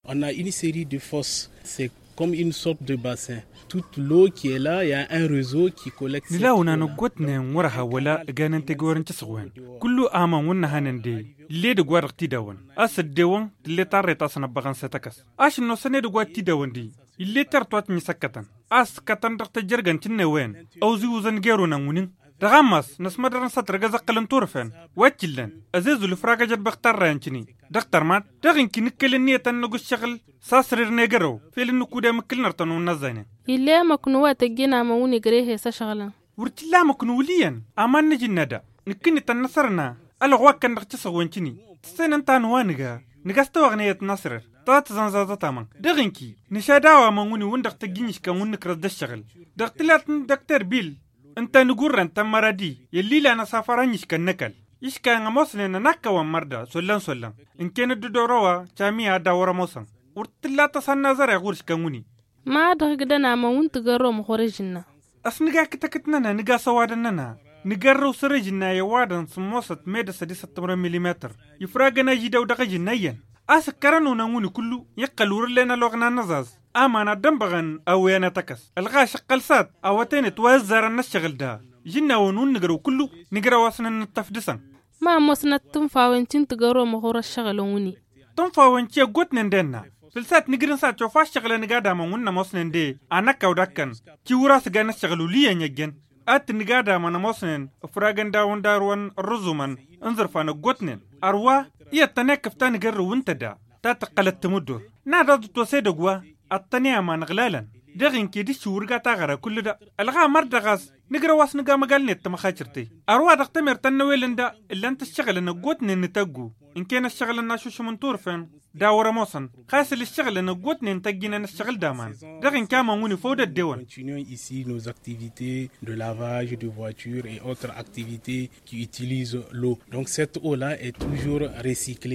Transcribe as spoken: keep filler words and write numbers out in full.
On a une série de fosses, c'est comme une sorte de bassin. Toute l'eau qui est là, il y a un réseau qui collecte. Nǝla wănan ăggootnen wăr-ha wăla ăganăn tegăwărăn cǝsɣwen. Kullu aman wăr nǝhanăn de, ill'-e dăgg-wa-dăɣ tidawăn a-s ăddewăn tǝll'-e tarret a-s năbbăɣăn s-e-tăkăs. Ašǝnnosăn edăgg wa t-tidawăn de, ill'-e terăt wa tǝnni s-ăkkătăn a-s ǝkkătăn dăɣ-tăjjărgăn tǝnnewen. Ăwziwǝzăn geru n-ănwǝnǝn dăɣ-ammas năsmădărăn s-ad-tărgăz ăqqǝlăn turfen. Wa t-illăn ăzezul ǝfragăjăt băɣ tarrăyăn tǝni dăɣ-tărmat. Dăɣ-inki nǝkkăl ǝnniyăt ad-năgg ǝššăɣǝl s-asrir n-egărăw fel ǝnnǝkud i-mǝkkǝl n-ărtăn wǝnnăẓẓaynen. Ill'-e amăknu wa tăjjăn amăn wǝnni gre he-s ăšɣălăn. Wăr t-illa amăknu wǝl' iyyăn aman n-ajǝnna da. Nǝkkǝn-i tănnăsărna ălɣ wa ǝkkăn dăɣ-tisăɣwen tǝni tǝssenăn ta n-wa nǝga. Nǝga s-tawăɣneyăt n-asrăr ta tǝzănzazăt amăn. Dăɣ-inki nǝšad a-wa amăn wǝnni wǝnn-dăɣ tăjjǝn iškan wǝnn-nǝkrăẓ d-ǝššăɣǝl. Dăɣ-tǝlat n-dăkter bil ǝnta n-agurre ǝnta n-măradi i-ăllilan asafar a n-iškăn n-ăkall. Iškan ămoosnen ănakkăwăn mărda sollăn-sollăn. Ǝnken dd-ădor a-wa camiya ad-dawăr ămoosăn. Wăr t-tǝlla tăsa n-azăreɣ ɣur-iškan wǝnni. Ma dăɣ-igdăn amăn wǝnn tǝgărrăw măxor ăžǝnna. A-s nǝga kǝtăkǝt-nănăɣ nǝga s-ăwadăn-nănăɣ nǝgărrăw săr-ăžǝnna i-ăwadăn s-ămoosăt medăs ad-isăttămrăn milimetăr. Ifragăn ažidăw dăɣ-ažǝnna iyyăn a-s ǝkkărăn unăn wǝnni kullu. Iqqăl wăr-ǝllen ăloɣna n-aẓaẓ aman ad-dd-ănbăɣăn a-wen a tăkăs. Ălɣaš ǝqqăl s-ad-awătăynet wa ǝzzarăn n-ăššăɣǝl da. Žǝnnawăn wǝnn nǝgrăw kullu nǝgrăw a-s nǝnnǝttăf dăɣ-săn. Ma ămoosnăt tǝnfawen ti n-tǝgărrăw măxor ăššăɣǝlăn wǝnni. Tǝnfawen ti ăggootnen d-enna făll-sat nǝgrǝn sat cofa ăššăɣǝlăn ǝgadamăn wǝnn ămoosnen de. Anăkkaw d-akkăn ti wăr-asǝgan ăššăɣǝl wǝl' iyyăn i-ăjjăn. Ad-tǝnn ǝgadamăn ămoosnen ǝfragăn dawăn darwăn ărrǝẓumăn n-iẓǝrfan ăggootnen. Ărwa iyyăt tăn-ekkăf ta n-igărrǝw ǝnta da ta tǝqqălăt tamǝddor. N-ad-aẓ dd-tosa edăgg wa ăṭṭăne aman ǝɣlalăn. Dăɣ-inki d-iššǝw wăr ga taɣăra kull da. Ălɣamăr-dăɣ a-s nǝgrăw a-s nǝga măgalnet tamăxacărt-i. Ărwa dăɣ-temert ta n-năwelăn da ǝllan-t ǝššăɣǝlăn ăggootnen n-tăggu. Ǝnken ăššăɣǝlăn n-ašušǝm n-turfen d-a wăr-ămoosăn. Xas ǝlǝššăɣǝlăn ăggootnen tăjjǝnăn ǝššăɣǝl d-aman. Dăɣ-inki aman wǝnni făw d-ăddewăn. Continuons ici nos activités de lavage de voitures et autres activités qui utilisent l'eau. Donc cette eau-là est toujours recyclée.